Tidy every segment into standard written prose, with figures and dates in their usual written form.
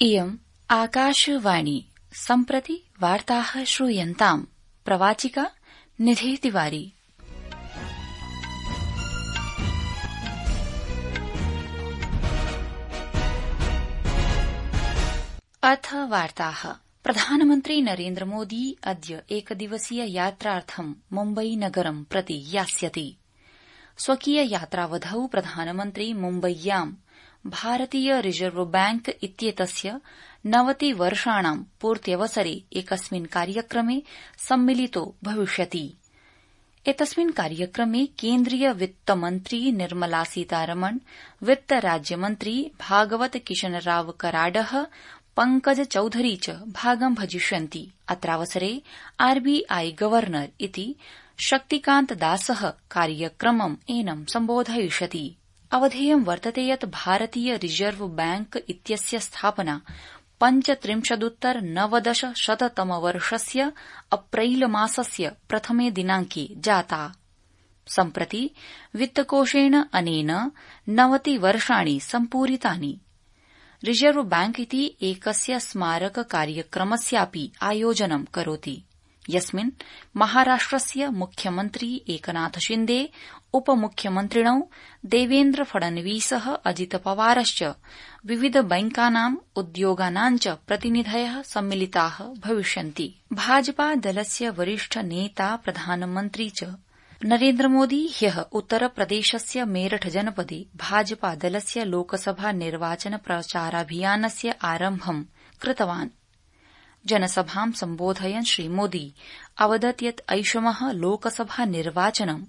इयम् आकाशवाणी सम्प्रति वार्ताः श्रूयन्ताम्। प्रवाचिका निधि तिवारी। अथ वार्ताः। प्रधानमन्त्री नरेन्द्र मोदी अद्य एकदिवसीय यात्रार्थं मुम्बई नगरं प्रति यास्यति। स्वकीय यात्रावधौ प्रधानमन्त्री मुम्बय्यां भारतीय रिजर्व बैंक इत्येतस्य 90 वर्षाणां पूर्त्यवसरे एकस्मिन् कार्यक्रमे सम्मिलितो भविष्यति। एतस्मिन् कार्यक्रमे केन्द्रीय वित्तमन्त्री निर्मला सीतारमण, वित्त राज्यमन्त्री भागवत किशनराव कराडः, पंकज चौधरी च भागं भजिष्यन्ति। अत्रावसरे आरबीआई गवर्नर इति शक्तिकान्त दासः कार्यक्रमम् एनं सम्बोधयिष्यति। अवधेयं वर्तते यत् भारतीय रिजर्व बैंक इत्यस्य स्थापना 35-90 अप्रैल मासस्य प्रथमे दिनांके जाता। सम्प्रति वित्तकोषेण अनेन 90 वर्षाणि सम्पूरितानि। रिजर्व बैंक इति एकस्य स्मारक कार्यक्रमस्यापि आयोजनं करोति, यस्मिन् महाराष्ट्रस्य मुख्यमन्त्री एकनाथ शिन्दे, उपमुख्यमन्त्रिणौ देवेन्द्र फडणवीसः, अजित पवारश्च विविध बैंकानां उद्योगानां च प्रतिनिधयः सम्मिलिताः भविष्यन्ति। भाजपा दलस्य वरिष्ठ नेता प्रधानमन्त्री च नरेन्द्र मोदी ह्यः उत्तरप्रदेशस्य मेरठ जनपदे भाजपा दलस्य लोकसभा निर्वाचन प्रचाराभियानस्य आरम्भं कृतवान्। जनसभां सम्बोधयन् श्रीमोदी अवदत् यत् ऐषमः लोकसभा निर्वाचनं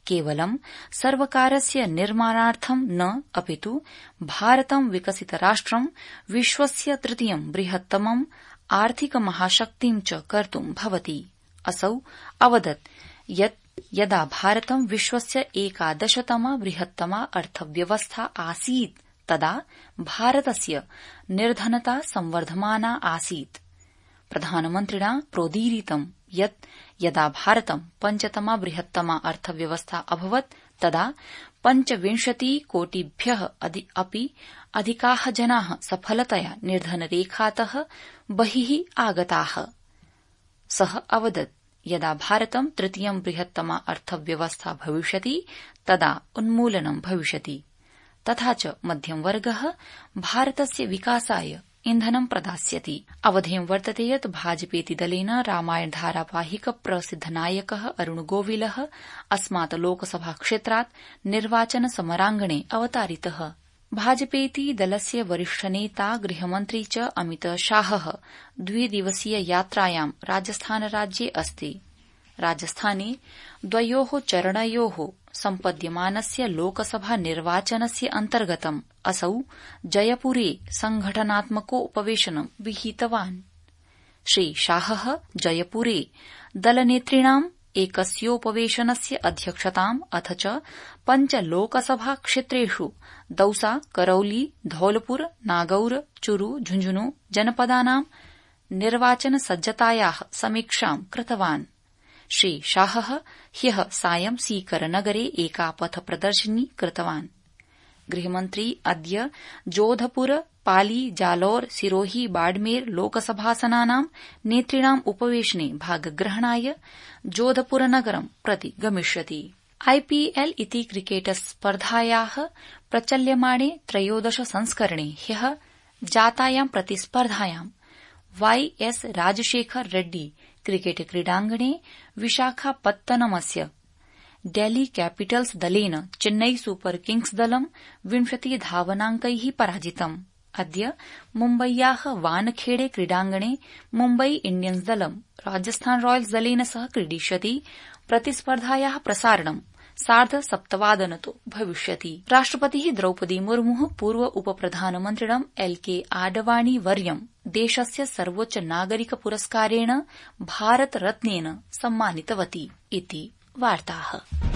केवलं सर्वकारस्य निर्माणार्थं न अपितु भारतं विकसितराष्ट्रं विश्वस्य तृतीयं बृहत्तमं आर्थिक महाशक्तिं च कर्तुं भवति। असौ अवदत् यत् यदा भारतं विश्वस्य 11तमा बृहत्तमा अर्थव्यवस्था आसीत् तदा भारतस्य निर्धनता संवर्धमाना आसीत्। प्रधानमन्त्रिणा प्रोदीरितं यत् यदा भारतं 5तमा बृहत्तमा अर्थव्यवस्था अभवत् तदा 25 कोटिभ्यः अपि अधिकाः जनाः सफलतया निर्धनरेखातः बहिः आगताः। सः अवदत् यदा भारतं तृतीयं बृहत्तमा अर्थव्यवस्था भविष्यति तदा उन्मूलनं भविष्यति, तथा च मध्यमवर्गः भारतस्य विकासाय इन्धनं प्रदास्यति। अवधेयं वर्तते यत् भाजपेति दलेन रामायण धारावाहिक प्रसिद्धनायकः अरुण गोविलः अस्मात् लोकसभा क्षेत्रात् निर्वाचन समराङ्गणे अवतारितः। भाजपेति दलस्य वरिष्ठ नेता गृहमन्त्री च अमित शाहः 2 दिवसीय यात्रायां राजस्थानराज्ये अस्ति। राजस्थाने 2 चरणयोः सम्पद्यमानस्य लोकसभा निर्वाचनस्य अन्तर्गतम् असौ जयपुरे संघटनात्मकोपवेशनं विहितवान्। श्री शाहः जयपुरे दलनेतृणाम् एकस्योपवेशनस्य अध्यक्षताम् अथ च 5 लोकसभा क्षेत्रेषु दौसा, करौली, धौलपुर, नागौर, चुरू, झुंझुनू जनपदानां निर्वाचन सज्जतायाः समीक्षां कृतवान्। श्री शाहः ह्यः सायं सीकरनगरे एका पथ प्रदर्शनी कृतवान्। गृहमन्त्री अद्य जोधपुर, पाली, जालौर, सिरोही, बाड़मेर लोकसभासनानां नेतृणाम् उपवेशने भागग्रहणाय जोधपुरनगरं प्रति गमिष्यति। आईपीएल इति क्रिकेट स्पर्धायाः प्रचल्यमाणे 13 संस्करणे ह्यः जातायां प्रतिस्पर्धायां वाईएस राजशेखर रेड्डी क्रिकेट क्रीडाङ्गणे विशाखापत्तनमस्य डेल्ही कैपिटल्स दलेन चेन्नई सुपर किंग्स दलं 20 धावनाङ्कैः पराजितम्। अद्य मुम्बय्याः वानखेड़े क्रीडाङ्गणे मुम्बई इंडियन्स दलं राजस्थान रॉयल्स दलेन सह क्रीडिष्यति। प्रतिस्पर्धायाः प्रसारणं 7:30 भविष्यति। राष्ट्रपतिः द्रौपदी मुर्मुः पूर्व उपप्रधानमन्त्रिणं एलके आडवाणी वर्यं देशस्य सर्वोच्च नागरिक पुरस्कारेण भारत रत्नेन सम्मानितवती इति वार्ताः।